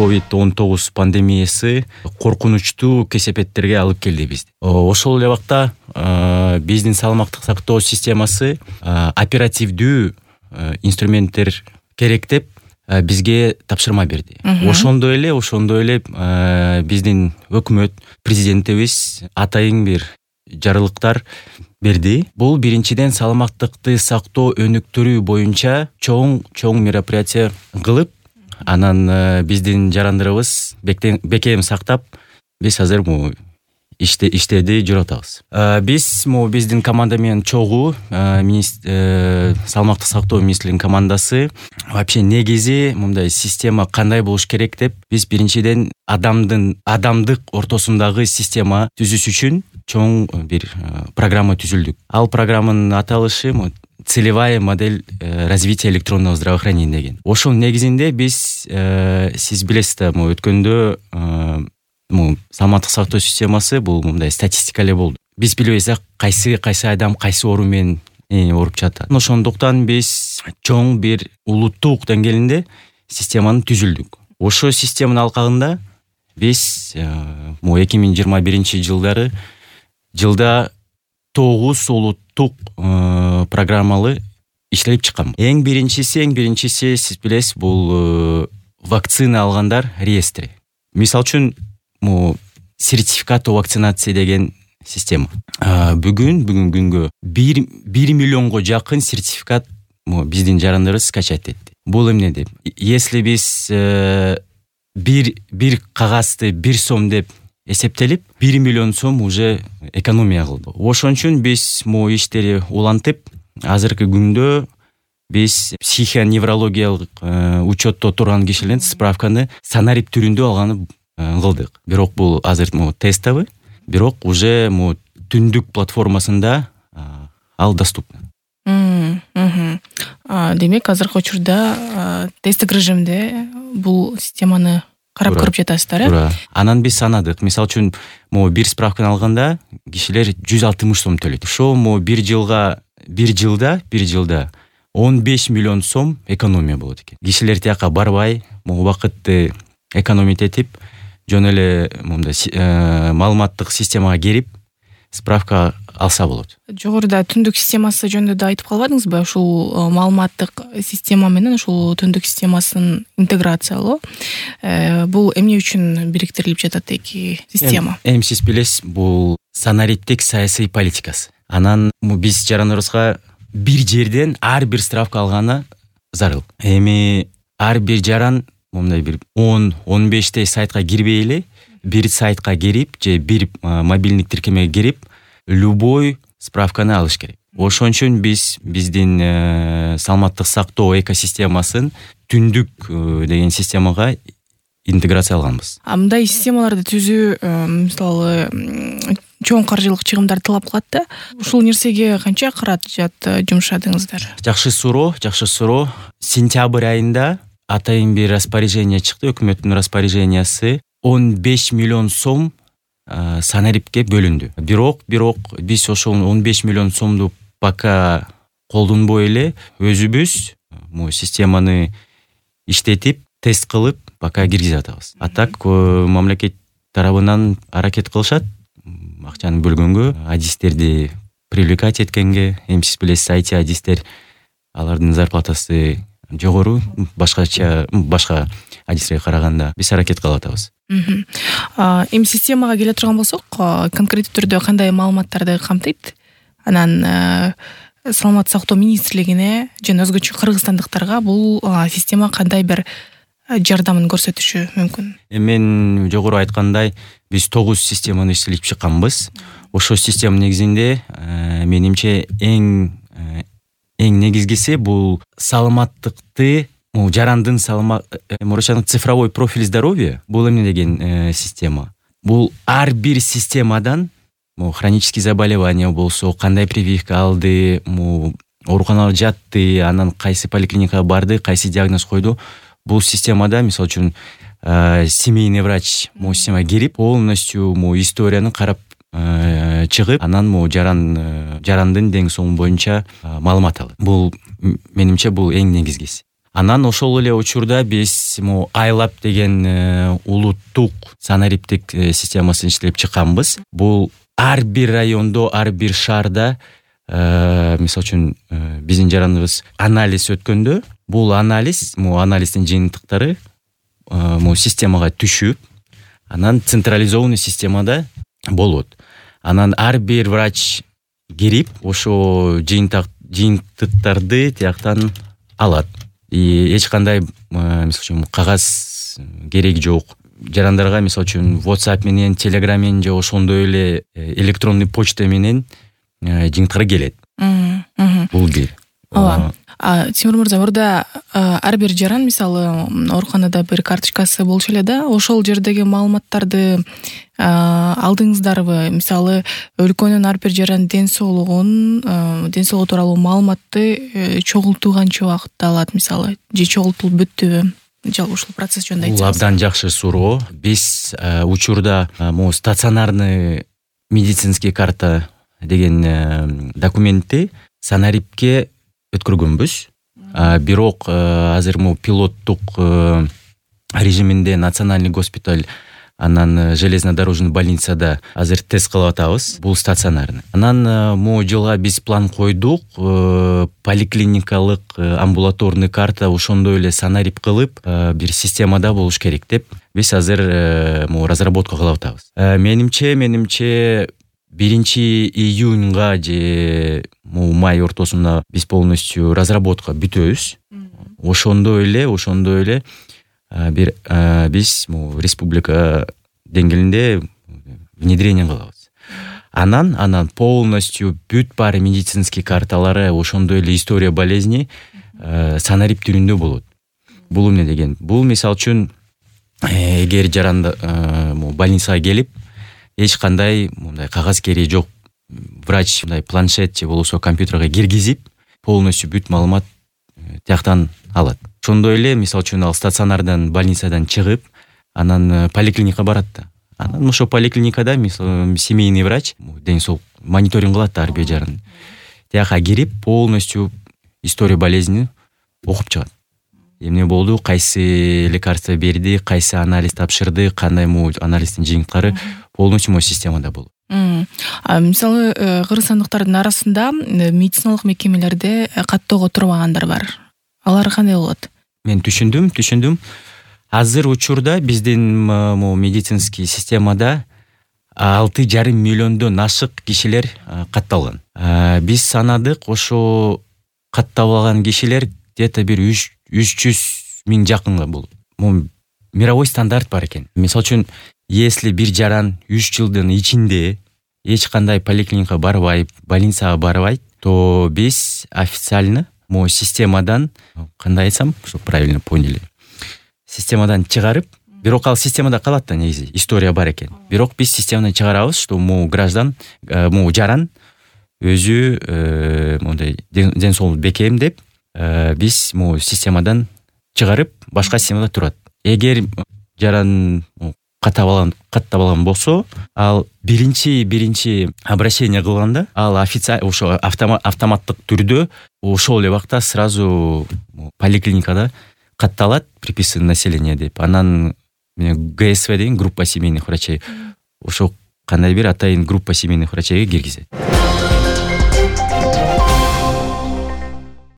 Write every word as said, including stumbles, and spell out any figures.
ковид он тогуз пандемиясы коркунучтуу кесепеттерге алып келди бизди. Ошол эле убакта биздин саламаттык сактоо системасы оперативдүү инструменттер керек деп бизге тапшырма берди. Ошондой эле, ошондой эле биздин өкмөт, президентибиз атайын бир жарылыктар берди. Бул биринчиден саламаттыкты сактоо өнүктүрүү боюнча чоң чоң мероприятие кылып, анан биздин жарандырыбыз бекем сактап, биз азыр бу иште иштеди жүрүп атабыз. Биз мо биздин команда менен чогуу саламаттык сактоо министрлигинин командасы вообще негизи мындай система кандай болуш керек деп биз биринчиден адамдын адамдык ортосундагы система түзүш үчүн чоң бир программа түзүлдүк. Ал программанын аталышы целевая модель развития электронного здравоохранения деген. Ошонун негизинде биз сиз билесиз да, өткөндө саламаттык сактоо системасы бул мындай статистика эле болду. Биз билбейбиз кайсы кайсы адам кайсы оору менен ооруп жатат. Ошондуктан биз чоң бир улуттук деңгээлинде системаны түзүлдүк. Ошол системанын алкагында биз эки миң жыйырма биринчи жылдары жылда тогуз улуттук программалы иштелип чыккан. Эң биринчиси, эң биринчиси сиз билесиз, бул вакцина алгандар реестри. Мисалы үчүн сертификат о вакцинации деген система. Бүгүн бүгүн күнгө бир миллионго жакын сертификат биздин жарандарыбыз скачать этти. Бул эмне деп? Если биз бир бир кагазды бир сом деп эсептелип, бир миллион сом уже экономия кылды. Ошон үчүн биз мо иштери улантып, азыркы күндө биз психоневрологиялык учетто турган кишилердин справканы санарип түрүндө алганы кылдык. Бирок бул азыр тестовый, бирок уже түндүк платформасында ал доступна. Демек, азыркы учурда тесттик режимде бул системаны карап көрүп жатасыздар, э? Анан биз санадык. Мисалы үчүн, бир справканы алганда кишилер жүз алтымыш сом төлөйт. Ошо бир жылга, бир жылда, бир жылда он беш миллион сом экономия болот экен. Кишилер тияка барбай, убакытты экономить этип, жөн эле мындай маалыматтык системага кирип, справка алса болот. Жогоруда түндүк системасы жөнүндө да айтып калбадыңызбы? Ушул маалыматтык система менен ушул түндүк системасын интеграциялоо бул эмне үчүн бириктирилип жатат эки система? Эми сиз билесиз, бул санариптик саясий политикасы. Анан биз жарандарыбызга бир жерден ар бир справка алганы зарыл. Эми ар бир жаран мындай бир он он бештей сайтка кирбей эле, бир сайтка кирип же бир мобилдик тиркемеге кирип, любой справканы алыш керек. Ошон үчүн биз биздин саламаттык сактоо экосистемасын түндүк деген системага интеграциялаганбыз. А мындай системаларды түзүү, мисалы, чоң каржылык чыгымдар талап кылат да. Ушул нерсеге канча каражат жумшадыңыздар? Жакшы суроо, жакшы суроо. Сентябрь айында атайын бир распоряжение чыкты, өкмөттүн распоряжениясы он беш миллион сом санарипке бөлүндү. Бирок, бирок биз ошол он беш миллион сомду пока колдонбой эле өзүбүз бул системаны иштетип, тест кылып, пока киргизип атабыз. А так мамлекет тарабынан аракет кылышат акчаны бөлгөнгө, адистерди привлекать эткенге. Эми сиз билесиз, ай ти адистер, алардын зарплатасы жогору, башкача башка адистерге караганда биз аракет кылып атабыз. Эми системага келе турган болсок, конкреттүү түрдө кандай маалыматтарды камтыйт? Анан саламаттык сактоо министрлигине жана өзгөчө кыргызстандыктарга бул система кандай бир жардамын көрсөтүшү мүмкүн? Мен жогору айткандай, биз тогуз системаны иштелип чыкканбыз. Ошол система негизинде менимче эң эң негизгиси бул саламаттыкты, жарандын саламаттык цифровой профиль здоровья. Бул эмне деген система? Бул ар бир системадан хронический заболевания болсо, кандай прививка алды, ооруканага жатты, анан кайсы поликлиникага барды, кайсы диагноз койду. Бул системада, мисалы үчүн, семейный врач мо системага кирип, полностью мо историяны карап чыгып, анан мо жаран жарандын дең соолугу боюнча маалымат алат. Бул менимче бул эң негизгиси. Анан ошол эле учурда биз могу айлап деген улуттук санариптик системасын иштеп чыкканбыз. Бул ар бир райондо, ар бир шаарда мисалы үчүн биздин жараныбыз анализ өткөндө, бул анализ, могу анализдин жыйынтыктары могу системага түшүп, анан централизованный системада болот. Анан ар бир врач кирип, ошо жыйынтыктарды тияктан алат. И эч кандай мисалы үчүн кагаз кереги жок. Жарандарга мисалы үчүн WhatsApp менен, Telegram менен же ошондой эле электронный почта менен жыйынтыктар келет. Бул бир. Ооба. Тимур мырза, мурда ар бир жаран мисалы ооруканада бир карточкасы болчу эле да, ошол жердеги маалыматтарды алдыңыздарбы? Мисалы өлкөнүн ар бир жаран ден соолугун, ден соолугу тууралуу маалыматты чогултуу канча убакытта алат мисалы, же чогултулуп бүттүбү? Жалпы ушул процесс жөнүндө айтсаңыз. Бул абдан жакшы суроо. Биз учурда могу стационарный медицинский карта деген документти санарипке өткөргөнбүз. Бирок азыр могу пилоттук режиминде национальный госпиталь, анан железнодорожный больницада азыр тест кылып атабыз. Бул стационарный. Анан могу жылга биз план койдук, поликлиникалык амбулаторный карта ошондой эле санарип кылып бир системада болуш керек деп биз азыр могу разработка кылып атабыз. Менимче, менимче биринчи июнга же май ортосунда биз полностью разработка бүтөбүз. Ошондой эле, ошондой эле бир биз республика деңгээлинде внедрение кылабыз. Анан анан полностью бүт баары медицинский карталары ошондой эле история болезни санарип түрүндө болот. Бул эмне деген? Бул мисалы үчүн эгер жаранда больницага келип, эч кандай мындай кагаз кереги жок, врач мындай планшет же болбосо компьютерге киргизип, полностью бүт маалымат тияктан алат. Ошондой эле мисалы үчүн ал стационардан, больницадан чыгып, анан поликлиника барат да. Анан ошо поликлиникада мисалы семейный врач ден соолук мониторинг кылат ар бир жаран. Тияка кирип, полностью история болезни окуп чыгат. Эмне болду, кайсы лекарство берди, кайсы анализ тапшырды, кандай могу анализдин жыйынтыктары полностью могу системада болот. Мисалы кыргызстандыктардын арасында медициналык мекемелерде каттоого турбагандар бар. Алар кандай болот? Мен түшүндүм, түшүндүм. Азыр учурда биздин могу медицинский системада алты жарым миллиондон ашык кишилер катталган. Биз санадык, ошо катталган кишилер где-то бир үч жүз миң жакынга болот. Могу мировой стандарт бар экен. Мисалы үчүн, если бир жаран үч жылдын ичинде эч кандай поликлиника барбай, больницага барбайт, то биз официально могу системадан, кандай айтсам, чтобы правильно поняли, системадан чыгарып, бирок ал системада калат да негизи, история бар экен. Бирок биз системадан чыгарабыз, что могу граждан, могу жаран өзү мондай ден соолук бекем деп биз могу системадан чыгарып, башка системада турат. Эгер жаран каттап алган болсо, ал биринчи биринчи обращение кылганда, ал официально ошо автоматтык түрдө ошол эле убакта сразу поликлиникада катталат, приписан население деп. Анан ГСВ деген группа семейных врачей, ошо кандай бир атайын группа семейных врачейге киргизет.